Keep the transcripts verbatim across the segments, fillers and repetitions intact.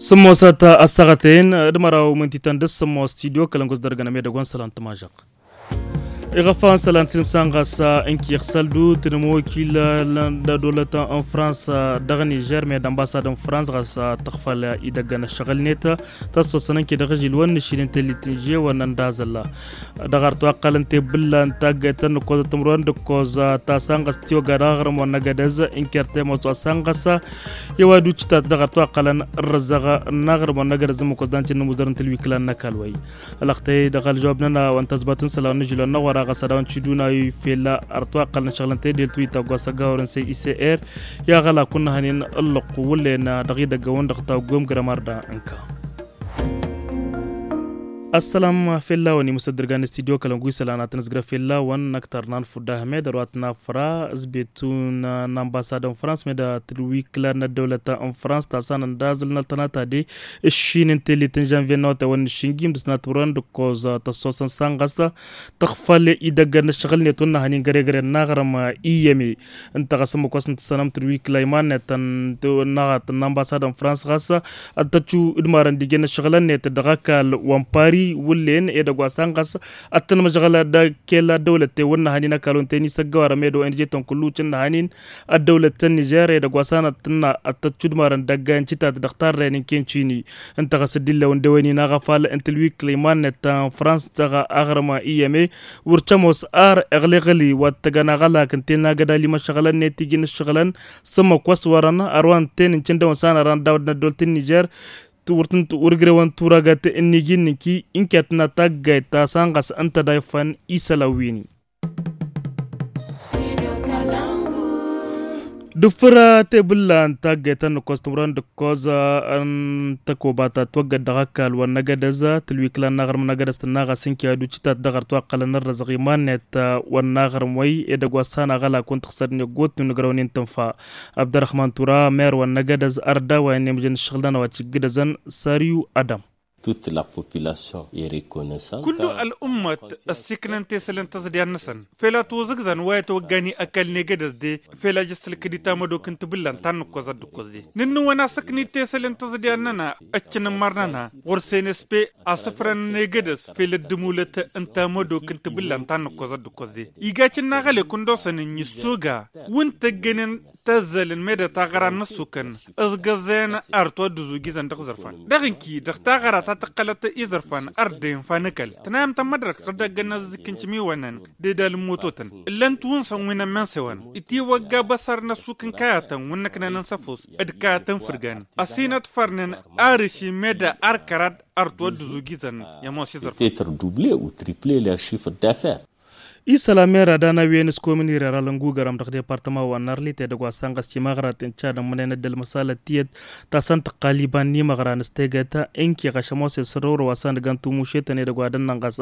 Sǝmmosăt ăssaɣăten d-măraw mǝntităn d-sǝmmos studio kălăngos dăr-gănăm edăgg wa n-sălan tămažăɣ. Iɣăfan sălan tinǝmsan ɣas n-kiɣ săldu tǝnmokil n-dădolăt n-frans dăɣ-nižer med ănbasad n-frans ɣas tăɣfăl idăggăn ăššăɣǝl-net. Tăssosăn n-kidăɣ žil wăn n-ašil n-tellit n-žewăn n-dazălla dăɣ-artu ăqqălăn tebǝlla n-taggayt ta n-ǝkkoẓăt timǝrwen d-ǝkkoẓ ta sanɣăs tiwăgga dăɣ-aɣrǝm wa n-agădăz. N-kertem wa s-wa sanɣăs i-wa ducǝtat dăɣ-artu ăqqălăn ărrăzăɣ n-aɣrǝm wa n-agădăz n-imǝkkoẓ dan ti n-imuzăr n-tǝlwikǝla n-ăkall wa-i. Ălăxtăy dăɣ-ălžăwab-nănăɣ wa n-tazbat n-isălan n-ažilăn n-aɣora ɣas ad-dăɣ-wăn ciduna i-fella artu ăqqălăn ašăɣlăn tedelt wi taggwa s-ăggawărăn s-e i s e r i-aɣălak wa n-hănen ǝllăqq wǝllen dăɣ-idăggăwăn dăɣ-taggwem grămar da ǝnka. Ăssălam fella-wăn imǝsăddǝrgan n-studio kălăngu isălan ad-tăn-ǝzgrăf fella-wăn n-ăktăr n-anfud ahmed ărwa t-nafra s-betu n-anbasad n-frans med tǝlwikǝla n-ăddăwlăt n-frans ta s-anăn d-azǝl n-ăltănatade. Ǝššin n-tellit n-žănvye n-awătay wa n-ǝššin gimdǝs n-ad-tǝmrăwăn d-ǝkkoẓ tăssosăn sanɣăs tăɣfăl idăgg n-ǝššăɣǝl-net wa n-nahănin găregăren n-aɣrǝm i-yeme ǝnta ɣas ǝmmǝk wa s-nǝtǝssănăm tǝlwikǝla iman-net n-anbasad n-frans ɣas ad-tăccu d-marăn d-ijăn ǝššăɣǝl-net dăɣ-ăkall wa n-pari wǝllen edăgg wa sanɣăs ad-tăn-măžɣăl d-kella ăddăwlăt-ten wa n-nahănin ăkall wa n-teni s-ăggăwarăm edăgg wa n-ijăytăn kullu cǝnnăhănin ăddăwlăt ta n-nižer edăgg wa s-anăt tǝnna ad-tăccu d-marăn dăgg-ayăn cǝtat dăɣ-tarrăyăn n-ken cini. Ǝnta ɣas dd-illa wa n-dewăynin aɣăfal n-tǝlwikǝla iman-net ta n-frans dăɣ-aɣrǝm i-yeme wăr cămoos ar iɣlǝɣli wa t-tăgăn aɣălak ǝnta i-nagăd alim ăššăɣǝlăn-net iji n-ǝššăɣǝlăn s-ǝmmǝk wa s-wărăn ărwa ǝnta-en n-cǝndăwăn s-anăran d-awăd n-ăddolt n-nižer. Wăr tǝn-wăr grewăn turagăt n-iji n-inki n-ket n-ataggayt ta s-anɣas ǝnta da ifan isălan wi-ni. D-ǝffǝr tebǝlla n-taggayt ta n-ǝkkoẓ timǝrwen d-ǝkkoẓ n-tăkoba ta ătwăggăd dăɣ-ăkall wa n-agădăz tǝlwikǝla n-aɣrǝm n-agădăz tǝnna ɣas ǝnki ad-ucǝtat dăɣ-artu aqqălăn ărrăzăɣ iman-net wa n-aɣrǝm wăy edăgg wa s-han aɣălak wa n-tăɣsăd n-eggotnu n-agraw n-intǝnfa. Abdărrăhman tura mer wa n-agădăz ărdawayăn i-mǝjăn ǝššăɣǝl-nănăɣ wa cǝggǝdăzăn sariyu adam. Toute la population est reconnaissante. Kullu ăl'ummăt ăssiiknăn tesăl n-tăẓḍiyan-năsăn fel a tozǝgzăn wa itwăggan i-ăkall n-egădăs de fel a jăssălkăd i-tamădok n-tibǝllan ta n-nǝkkoẓăt d-ǝkkoẓ de nǝnnǝwăn asăknit tesăl n-tăẓḍiyan-nănăɣ. Ăccăn ămmar-nănăɣ ɣur-senespe asǝfrăn n-egădăs fel ăddǝmulăt n-tamădok n-tibǝllan ta n-nǝkkoẓăt d-ǝkkoẓ de. Iga cǝnna aɣăle kundoosăn n-issoga wǝnta ăggănen tăzzălăn meddǝt aɣăra n-ăssukăn ǝẓgăẓen artu ad-dd-ǝzugizăn dăɣ-iẓărfan dăɣ-inki dăɣ-taɣăra ta tǝqqălăt iẓărfan ărdăyăn fanăkăl tǝnayăm tămmădrăk ɣǝr-dd aggăn n-azǝzǝk n-cimiwănăn d-edal n-mototăn. Ǝllăn tiwǝnsa n-wi n-ămmensewăn itiwăgga băsăr n-ăssuk n-kayatăn wǝnnăknăn n-săfos d-kayatăn fǝrgan ăsinăt fărnen arǝši meddǝ arkărad artu ad-dd-ǝzugizăn i-ămoos iẓărfan. Peut-être doubler ou tripler leur chiffre d'affaires. Isălan mera d-anăwwen s-komini reralăn gugărăm dăɣ-departăma wa n-arlit edăgg wa s-anɣăs timăɣraten cadăn mănen ăddăl măsalăt tiyyăt ta s-ăntăqqal iba n-imăɣran s-tegăt. Ǝnki ɣăšăm osesărăwrăw wa s-anăgăn tumušetăn edăgg wa d-ănnănɣăs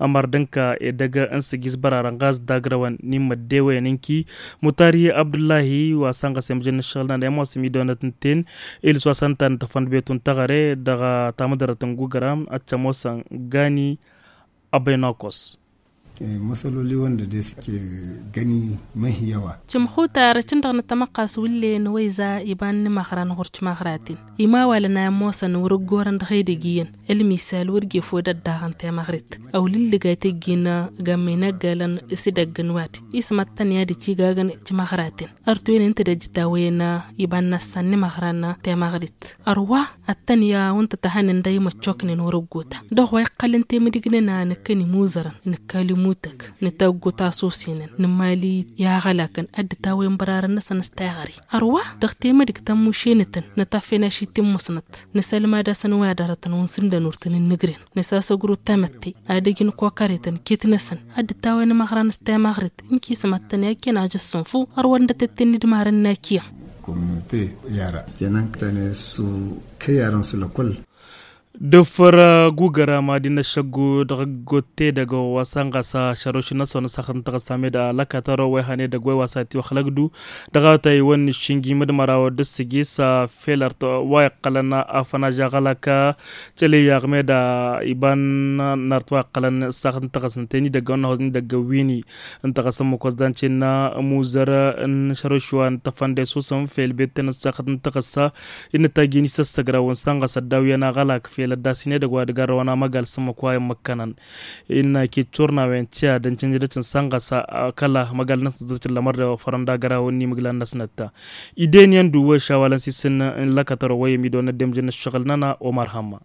ămăr d-ǝnka edăgg n-sǝjjǝs bărarăn ɣas d-agrăwăn n-immăddewăyăn ǝnki mutari abdullahi wa s-anɣăs i-mǝjăn n-ǝššăɣǝl-nănăɣ i-ămoos imidăwănăt ǝnta-en. Ilǝs wa s-ăntănăt ăfăndăbetun taɣăre dăɣ-tamǝdărăt n-gugărăm ad-t-ămoosăn gani. Abăynakos. Măsăloli wănda de s-ke găni măhiyyăwa. Cǝmxutar cǝndăɣ n-tămăqqas wǝllen wăyza iba n-imăɣran ɣur-cimăɣraten imawalăn a ămoosăn wăr-ăggorăn dăɣ-edăgg iyyăn. Ălmisal wăr jefăw d-ăddaɣăn temăɣrit ăwlǝllǝgay tăjjin. Gămmăy n-ăggalăn s-idăgg n-wad ismăttăn i-ad-ăcigagăn cimăɣraten. Ărtwen ǝnta d-ăjjǝtawăyăn iba n-năssan n-imăɣran temăɣrit ărwa ăttănǝya wa n-tăt-ăhănen d-a imăccoknen wăr-ăggota dăɣ-wa iqqălăn temǝdǝg-nănăɣ nǝkkăn imuzărăn nǝkkal imutăg nǝtaggot asosenăn nǝmali i-aɣălakăn ăddătawăyăn bărarăn-năsăn s-teɣăre. Ărwa dăɣ-temǝdǝg tămmušenătăn nătaffen ašit timmǝsnăt nǝsălmad-asăn wa dd-arătăn wa n-sǝndăn wăr tăn-ǝnnǝgren nǝsasăgru tamătte ad-ăj n-kokaretăn ket-năsăn ad-dd-tawăyăn imăɣran s-temăɣrit. N-kismăttăn i-akken ajăssǝnfu ărwa dd-tăt-tǝnnǝdmarăn n-akiyăm. Kominote i-ara tenăn tăne su kăy-arăn s-lăkol. Dăfăr gugărama d-innă šăggu dăɣ-gotte dăgg-wa s-anɣas šăroš n-asăwăn s-axăt n-tăɣăssa med alăkatăro wa ihăn edăgg wa i-wa s-atiwăxlăgdu. Dăɣ-awătay wa n-iššingi mădmăraw d-ǝssǝgi s-fel ărt wa iqqălăn afănaž aɣălak. Călăy aɣmed iba n-ărt wa iqqălăn s-axăt n-tăɣăssa n-teni dăgg-wa n-ahoz n-idăgg ăwwini. Ǝnta ɣas ămmăkos d-ancen n-amuzăr n-šărăšwa n-tăfănde s-usăm fel betten ăssaxăt n-tăɣăssa. Innă tajjin isăssăgrăwăn s-anɣas ăddaw iyyăn aɣălak fel ăddasin edăgg wa d-garrăwăn amăgal s-ămmăk wa i-ămmăkkănăn. Innă iket turnawen tiya d-ăncănjădătăn s-anɣas kăla măgal-năsnăt d-otǝllămăr d-fărănda gărawăn n-imǝglan-năsnăt. Iden iyyăn d-uwwăy šawalăn s-isǝn n-lăkătăro wa i-ămidăwăn ăddemjăn n-ǝššăɣǝl-nănăɣ omar hămma.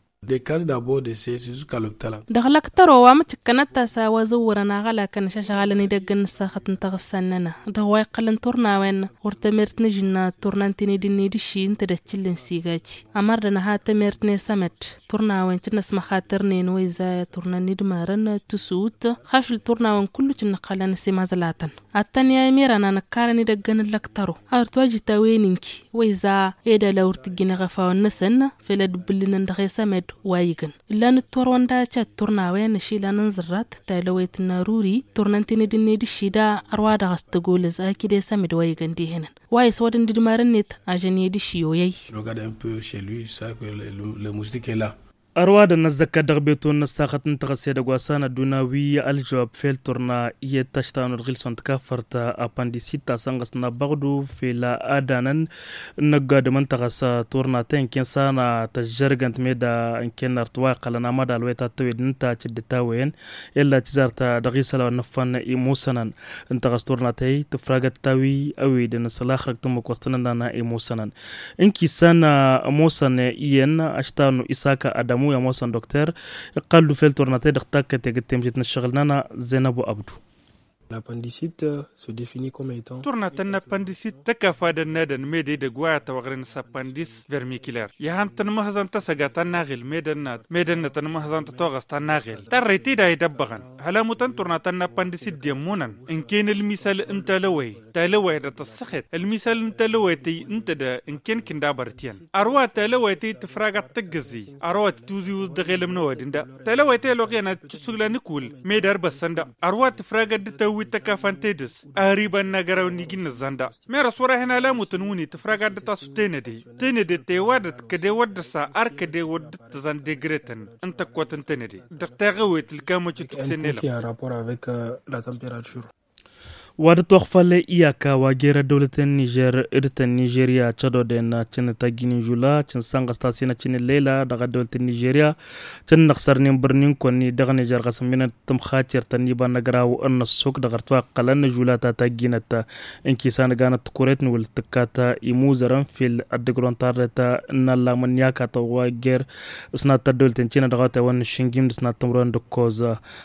Dăɣ-lăktăro wa mǝtǝkkănăt-as a-wa zǝwwărăn aɣălakăn šašăɣalăn idăgg n-ǝssaxăt n-taɣǝssa-nănăɣ dăɣ-wa iqqălăn turnawen. Wăr tămert n-ažǝnna turna n-tined-net d-ǝšši ǝnta d-ăččǝllen s-igaj. Ămăr d-anăha tămert n-esămăd turnawen cǝnnăs măxatărnen wa iza turna n-idmarăn tǝsut. Xašǝl turnawen kullu cǝnnăɣ-t xalăn s-imazălatăn. Ad-tăn-i-a imir-ana nǝkkarăn idăgg n-lăktăro a ărtwajǝt a-wen inki wa iza ed ala wăr t-ǝjjǝn iɣăfawăn-năsăn. Fel ad-ǝbbǝllǝnăn dăɣ-esămăd wa igăn ǝllan ǝttorwăn daca d-turnawen ăšilan n-zărrat talăwet n-aruri turna n-tined-net d-ǝššida. Ărwa dăɣ-s tăgolăz akǝd esămăd wa igăn dehănăn wa iswădăn d-idmarăn-net ažăn i-dd-ǝšši oyăy. Ărwa dăr-năzzăkka dăɣ-beton n-ăssaxăt n-tăɣăse dăgg-wa s-anăddunawi ălžăwab fel turna iyyăt taštanu d-ɣilson tikaffărt apăndisit ta sănɣăs n-abăɣdu fel adanăn n-ăgg-adǝm n-tăɣăs turna ta inken s-ana tăžžărgăn timeda inken ărtwa iqqălăn amădal wa i-tattăwed n-ta cǝddǝt a-wen. Ella tizart dăɣ-isălan wa n-ăffăn imusănăn n-tăɣăs turna ta-i tǝfragăt tawi ăwidăn s-laxrăg tǝmmǝk wa s-tăn-ănnan imusănăn. N-kisan ămoosăn iyyăn aštarnu isaka adamu i-ămoosăn dokter. Iqqal-dd ufel turna ta-i dăɣ-takkăt egg-t temšit n-ăššăɣǝl-nănăɣ zenăbu abdu. Turnatăn n-appandisit tăkafadăn n-edăn mede idăgg wa i-ad-tăwăɣren s-appandis vermikiler ihăn tănmăhzăn tăsăga ta n-aɣil mede ănnăt mede ănnăt ănmăhzăn tătoɣăs ta n-aɣil tarrăyt-i da idăbbăɣăn. Hălamutăn turnatăn n-appandisit d-immǝnăn ǝnken ălmisăl n-talăwăy talăwăy dăɣ-tăssăxet ălmisăl n-talăwăy tăy ǝnta d-ǝnken kǝndabărăt iyyăn. Ărwa talăwăy tăy tǝfragăt tăggăzi ărwa tǝtuzǝy wǝzz dăɣ-elăm n-ăwadǝm da talăwăy tăy ăloɣ iyyăn ad-tǝssǝsǝglan ǝkul mede ărbăssăn da. Ărwa tǝfragăt d-tawwit tăkafan tedǝs ahăr iba n-agaraw n-iji n-nǝzzan da. Mer ăṣwăr-ahi n-alamutăn wǝnni tǝfragăt d-tasu tenăde tenăde tewădăt kăde wăr dd-ăssa ar kăde wăr dd-tǝzzan degretăn n-tăkkot n-tenăde. Dăɣ-teɣăwet ǝlkamăt i-tukse n-elăm. Wa dăt-oxfăl iyaka wa jer-ăddăwlăt n-nižer d-tăn-nižerya cădoden cǝn tajjin n-žula cǝn sănɣăs tasinăt cǝn ǝllela dăɣ-ăddăwlăt n-nižerya. Cǝn năɣsărnen bărnin kăwăn-ni dăɣ-nižer ɣas n-minăt tǝmxacer tăn-iba n-agraw n-ăṣṣuk dăɣ-ărtwa ăqqălăn n-žula ta tajjinăt. N-kisan ăganăt tikuret n-wǝl tǝkkat imuzărăn fil ăddǝgrăwăn tarret n-allamăn n-iyakatăn wa jer-s n-ad-tăddăwlăt n-cina dăɣ-awătay wa n-išǝnjim d-s n-ad-tǝmrăwăn d-ǝkkoẓ.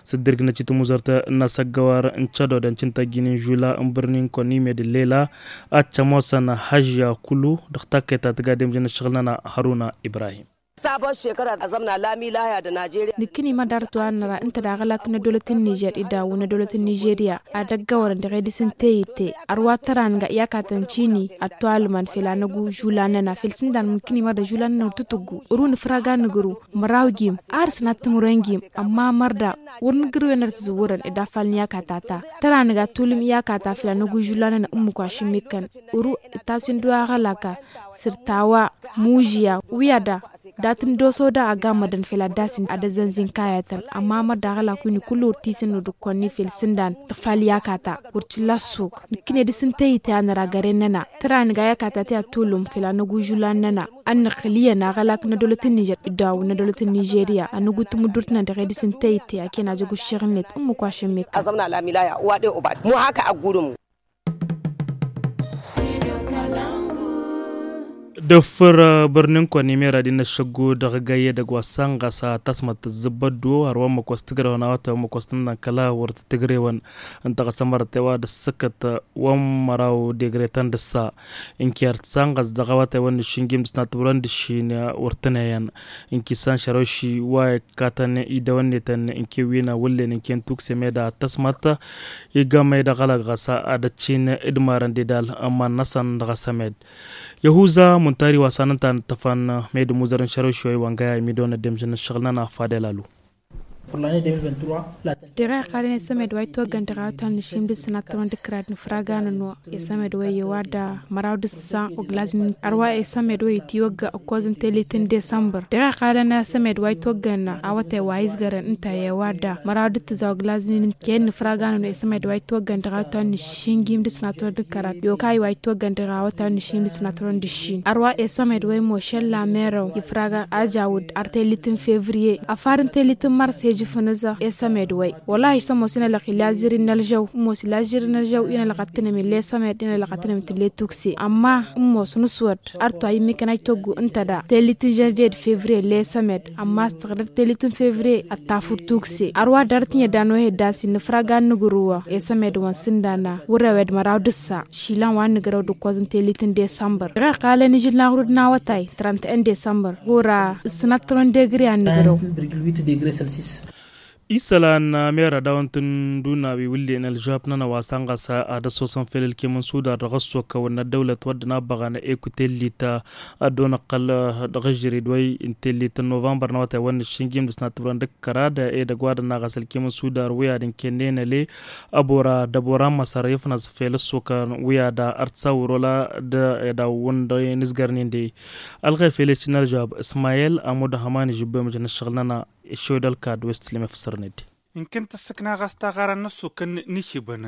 S-dd-irk n-ăcit muzărt n-asăggăwar n-cădodăn cǝntăjjin n-žula n-bărnin kăwăn-imed ǝllela. Ad-cămoosăn hăžža kulu dăɣ-takkăyt ta tǝga demjăn ǝššăɣǝl-nănăɣ hăruna ibrahim. Nǝkkǝni mădarăt wa n-năra ǝnta d-aɣălak n-ădolăt n-nižer idawǝn ădolăt n-nižerya ad-ăggăwărăn dăɣ-edis n-teyǝtte. Ărwa tăra n-ga iyakatăn cini ad-tualman fel anăgu žula-năna fel s-ǝndan mǝnkǝni mărda žula-năna wăr tǝtǝggu. Ărun ǝfraga n-ǝgru măraw jim ar s-năttǝmrăn jim. Ămma mărda wăr nǝgr-wen ad-tǝzǝwwărăn ed afal n-iyakata ta tăra n-ga tulǝm iyakata fel anăgu žula-năna ǝmmǝk wa šǝmmikăn. Ǝru ǝttas-in-dăɣ aɣălaka săr-tawa mužiya wi-ad-da dat-ǝndoso da agammădăn fel ad-dasin ad-ăzzănzin kayătăn. Ămma mărda aɣălak wi n-kull wăr t-isǝnnu d-ǝkkonnen fel s-ǝndan tăfal iyakata wăr t-illa ăssuk. Nǝkkǝne dăr-s n-teyǝtte a năra găren-năna tăra n-ga iyakata ti ad-tulǝm fel anăgu žulan-năna. Ad-nǝxǝl iyyăn aɣălak n-ădolăt n-nižer idawǝn n-ădolăt n-nižerya anăgu tǝmǝddurt-nănăɣ dăɣ-edis n-teyǝtte aken ajăg uššeɣ-net ǝmmǝk wa šămmekăn. Dăffăr bărnen kăwăn-imera d-innă ăššăggu dăɣ-gayye dăgg-wa s-anɣas tasmăt tǝzzǝbbăddu har wa ǝmmǝk wa s-tǝgrewăn awătay wa ǝmmǝk wa s-tǝnnăn kăla wăr tǝtǝgrewăn. Ǝnta ɣas ămărăt i-wa d-ăssǝkkăt wa n-măraw degre ta n-dăssa. Ǝnker tǝsanɣăs dăɣ-awătay wa n-išǝnjim dăɣ-s n-ad-tǝmrăn d-ǝššin wăr tǝnăyăn. Ǝnkisan šăroši wa ikkatăn idăwănnetăn ǝnken wi n-awǝllen ǝnken tukse meda tăsmăt. Igamăy dăɣ-alăɣ ɣas ad-ăccin d-marăn d-edal ămman-năsăn dăɣ-asămed. Yăhuza. Tari wa s-anăn ta n-ǝṭṭăfan, med ămuzăr n-šărăw šoy wa n-gaya imidon ăddemšăn n-ǝššăɣǝl-nănăɣ fadel alu. Dăɣ-iqqalăn i-sămed wa itwăggăn dăɣ-awătay n-ǝššim d-ǝssan ad-tămăn d-kărad n-ifraga n-ănwa i-sămed wa iyyăw ad-măraw d-ǝssa oglaznin ărwa i-sămed wa itiwăgga ǝkkoẓ n-telit n-desămbăr. Dăɣ-iqqalăn i-sămed wa itwăggăn awătay wa izgărăn ǝnta iyyăw ad-măraw d-ǝttǝza oglaznin n-ken n-ifraga n-ănwa i-sămed wa itwăggăn dăɣ-awătay n-ǝššim d-ǝssan ad-tămăn d-kărad i-okay wa itwăggăn dăɣ-awătay n-ǝššim d-ǝssan ad-tămăn d-ǝššin ărwa i-sămed wa imošăl la merăw ifraga ajawǝd ar telit n-fevriye afar n-telit n-mars hejǝf n-ǝzăɣ i-sămed wa. Wăla-hi s-ămoos inălăɣ ilazirin n-ălžăw ămoos ilazirin n-ălžăw inălăɣ ad-tǝnăm ill'-e sămed inălăɣ ad-tǝnăm tǝll'-e tukse ămma ămoos n-ǝswăd. Ar toayyǝm ikan a itoggu ǝnta da telit n-žănviye d-fevriye ill'-e sămed ămma s-tăɣdăr telit n-fevriye ăttafǝd tukse ărwa dăr-t n-iyyăd a n-ohe d-asin n-afrag a n-nǝgrǝwăɣ i-sămed wa n-sǝndan wăr-ewed măraw d-ǝssa. Išilan wa n-nǝgrăw d-ǝkkoẓ n-telit n-desămbăr dăɣ-iqqalăn ižǝl n-aɣrud n-awătay trănt-en desămbăr ɣur-a ǝssǝnăt tărăn degre a n-nǝgrăw. Isălan mera dawăn-tǝnduna wi wǝllen ălžăbnănăɣ wa s-ănɣăs ad-ăssosăn fel ălkem n-sudar dăɣ-ăssokăwăn n-ăddăwlăt wăr dd-nabăɣăn ekutellit ad-dd-onăqqăl dăɣ-ažărid wa n-tellit n-novămbăr n-awătay wa n-ǝššǝnjim d-ǝsnat timǝrăn d-ǝkkărad edăgg wa dd-naɣas ălkem n-sudar wi ad-ǝnkennen ăle ăbora d-ăbora n-măsăr ifnăẓ fel ăssokăn wi ad-ărtǝsawăr wăla d-edawăn d-inǝzgărnen de. Ălɣefel ecǝn ălžab ismayel amud ăhăman ižǝbbe mǝjăn ǝššăɣǝl-nănăɣ iššăwed ălkad west lem ifǝssărned. Ǝnkǝn tǝssǝkna ɣas taɣara n-ăssukăn n-išibăn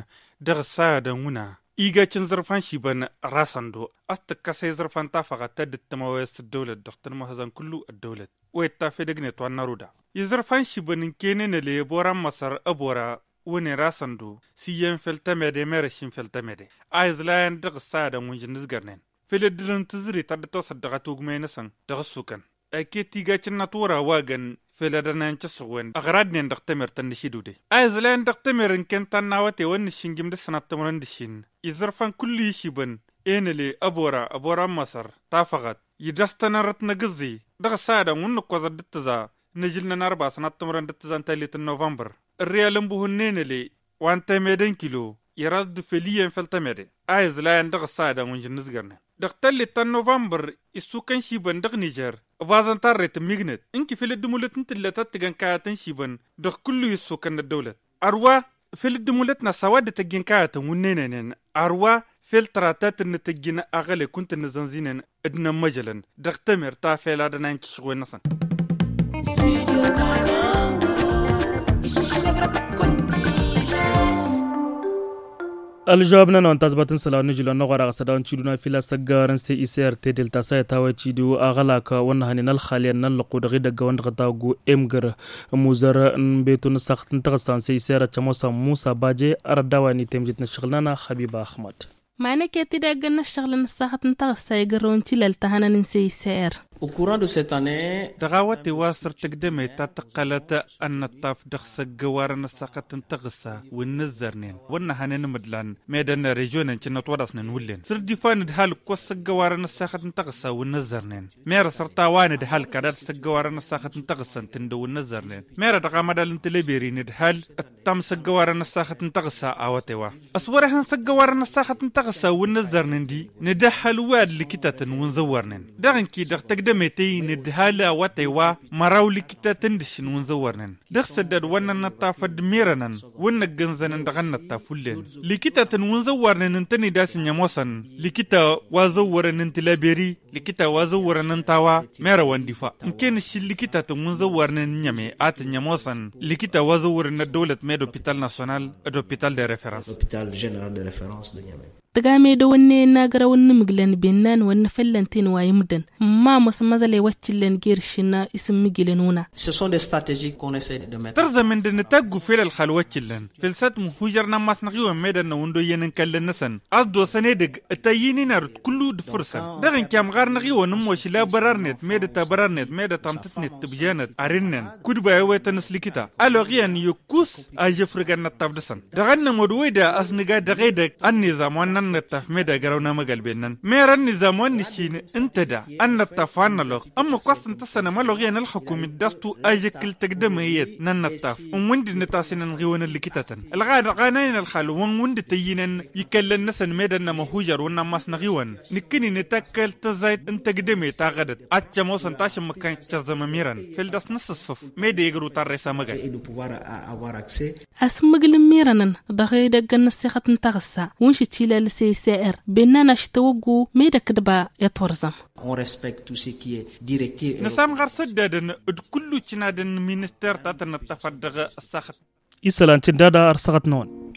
dăɣ-ǝssayădăn wǝna igăc n-iẓărfan išibăn rasăn do a-s tǝkkăs i-iẓărfan tafăɣăt ta dd-tămăwăyăt s-ăddăwlăt dăɣ-tăn-măhăzăn kullu ăddăwlăt. Wet tafedăgnet wa n-năruda iẓărfan išibăn ǝnkăynen ăle ăbora n-măsăr ăbora wǝnen rasăn do s-iyyăn fel tămede merăšin fel tămede a iẓlayăn dăɣ-ǝssayădăn wǝnžǝn n-ǝzgărnen fel ăddǝlăn tǝzrit a dd-tosăt dăɣ-atugmăy-năsăn dăɣ-ăssukăn. Ăket igacǝnnăt wăr-a-wa găn fel ad-ănayăn cǝssuɣwen ăɣradnen dăɣ-temert ănnăšidudey a iẓlayăn dăɣ-temer ǝnken ta n-awătay wa n-ǝššǝnjǝm d-ǝssanat timǝrăn d-ǝššin iẓărfan kullu išibăn enăle ăbora ăbora n-măsăr tafăɣăt idăstăn arăt n-agǝẓẓi dăɣ-ăssadăn wǝnnǝkkoẓăt d-ǝttǝẓa n-ažǝl n-anărba ăssanat timǝrăn d-ǝttǝẓa n-tallit n-novămbăr ărriyal n-buhǝnnen ăle wa n-temede n-kilo iras d-fel iyyăn fel temede a iẓlayăn dăɣ-ǝssadăn wǝnžǝn n-ǝzgărnen dăɣ-tallit ta n-novămbăr issukăn išibăn dăɣ-nižer ăbaẓăn tarret n-mignăt ǝnki fel dd-mulăt n-tǝllăt ad-tǝgăn kayăt n-išibăn dăɣ-kullu issukăn n-ăddăwlăt ărwa fel dd-mulăt n-ăssawa dd-tăjjǝn kayătăn wǝnnenănen ărwa fel tăratat n-tăjjǝn aɣălek wǝnta n-nǝzănzinen d-inămmăjălăn dăɣ-temert ta fel ad-ănayăn cǝššăɣwen-năsăn. Ălžăwab-nănăɣ n-tazbat n-isălan n-ažǝl wa n-aɣora ɣas ad-dawăn-t-iduna fila s-ăggawar n-se isert edel ta s-a itawăy-t-idu aɣălak wa n-hănen ălxalyan n-ăllăqu dăɣ-idăgg wa n-dăɣ-taggu emgăr. Ămuzăr n-betu n-ăssaɣăt n-taɣǝssa n-se isert ăččămosa musa baje. Arăt d-a-wa n-itemjit n-ăššăɣǝl-nănăɣ xăbiba ăxmăd. Ma năket idăgg n-ăššăɣǝl n-ăssaɣăt n-taɣǝssa igărrăw n-tilăl ta hănăn n-se isert. Dăɣ-awăte wa s-ărtăgdămet ta tǝqqălăt ănnăṭṭaf dăɣ-s ăggăwarăn ăssaɣăt n-taɣǝssa wi n-nǝzzărnen wăr nǝhănen imǝdlan medăn režion n-cǝnnăt wăr dăɣ-s nǝnwǝllen s-ărdifan d-hal ǝkkoẓ s-ăggăwarăn ăssaɣăt n-taɣǝssa wi n-nǝzzărnen. Merăs ărtawa n-ǝdhal kadad s-ăggăwarăn ăssaɣăt n-taɣǝssa ǝntǝndăw n-nǝzzărnen merăt dăɣ-amădal n-tǝleberi n-ǝdhal ǝttam s-ăggăwarăn ăssaɣăt n-taɣǝssa. Awăte wa s-wăr-ehăn s-ăggăwarăn ăssaɣăt n-taɣǝssa wi n-nǝzzărnen di n-ǝdhal wi ad-likitătăn wi n-zăwwărnen dăɣ-ǝnki dăɣ-tăgdămet i-nǝdhal awăte wa măraw likitătăn d-ǝššǝn wi n-zăwwărnen dăɣ-săddad wa n-ănnăṭṭaf ăddmirănăn wi n-ăggănzănăn dăɣ-ănnăṭṭaf wullen likitătăn wi n-zăwwărnen ǝntăned a-s ǝnnyămoosăn likita wa zăwwărăn n-tǝleberi likita wa zăwwărăn n-tawa merăwăn difa ǝnken ǝššǝl likitătăn wi n-zăwwărnen ǝnnyăme a tǝnnyămoosăn likita wa zăwwărăn n-ăddăwlăt med-opital national d-opital de referăns. Tǝga medăwăn n-e n-agrăwăn n-imǝglăn bennan wăr n-afăllăn-ten wa imdăn ǝmma ămoosăn măẓălay wa t-illăn jer-išǝnna isǝmmǝjǝlăn wǝna. Tărzămen d-nǝtaggu fel ălxal wa t-illăn fel s-ad-tǝmhujărnăm a-s năɣ-iwăn medăn n-awǝndoyyăn n-kallăn-năsăn a-s dd-osăn edăgg ătayyin-in arǝt kullu d-făr-săn dăɣ-ǝnke amɣar năɣ-iwăn ǝmmošǝl abărarnet medăt abărarnet medăt amtǝtnet tǝbjenăt ar ǝnnen kud-ba iwetăn s-likita ăloɣ iyyăn iyyǝkkus ažăfrǝg ănnăṭṭaf dăɣ-săn dăɣ-ănnămod wăy-da a-s nǝga dăɣ-edăgg ănniẓam wa n-ănnăṭṭaf med-agărăw n-amăgălben-năn mer ănniẓam wa n-nǝššin ǝnta da ănnăṭṭaf Ănnăloɣ ămmăk wa s-tăn-tăssănăm ăloɣ iyyăn ălxukum-dd a-s tu ajăkkǝl tăgdăme iyyăt n-ănnăṭṭaf n-wǝndǝn n-etasinăn ɣiwăn ǝllǝkǝtătăn ălɣanăyăn ălxal wa n-wǝndǝt ăyyinăn ikăllăn-năsăn meddǝn n-amăhužăr wǝnnan masnăɣ iwăn nǝkkǝni nǝtakkăl tăẓayt n-tăgdăme taɣădăt ad-t-ămoosăn tašǝmmǝk kan căẓăm ămirăn făll-dăɣ s-nǝssǝsfǝf meddǝn i-gru tarresa măgăl. Asǝmmǝgǝl n-imirănăn dăɣ-edăgg n-ăssixăt n-taɣǝssa wǝnšǝt ilalǝs i-s r bennan ašităwăggu meddǝn ăkdăba i-ătwărzăm. Nǝsamɣăr s-ăddadăn d-kullu cǝnadăn n-minister ta tăn-ăṭṭăfăt dăɣ-ăssaxăt. Isălan cǝndada ărsăɣăt-năwăn.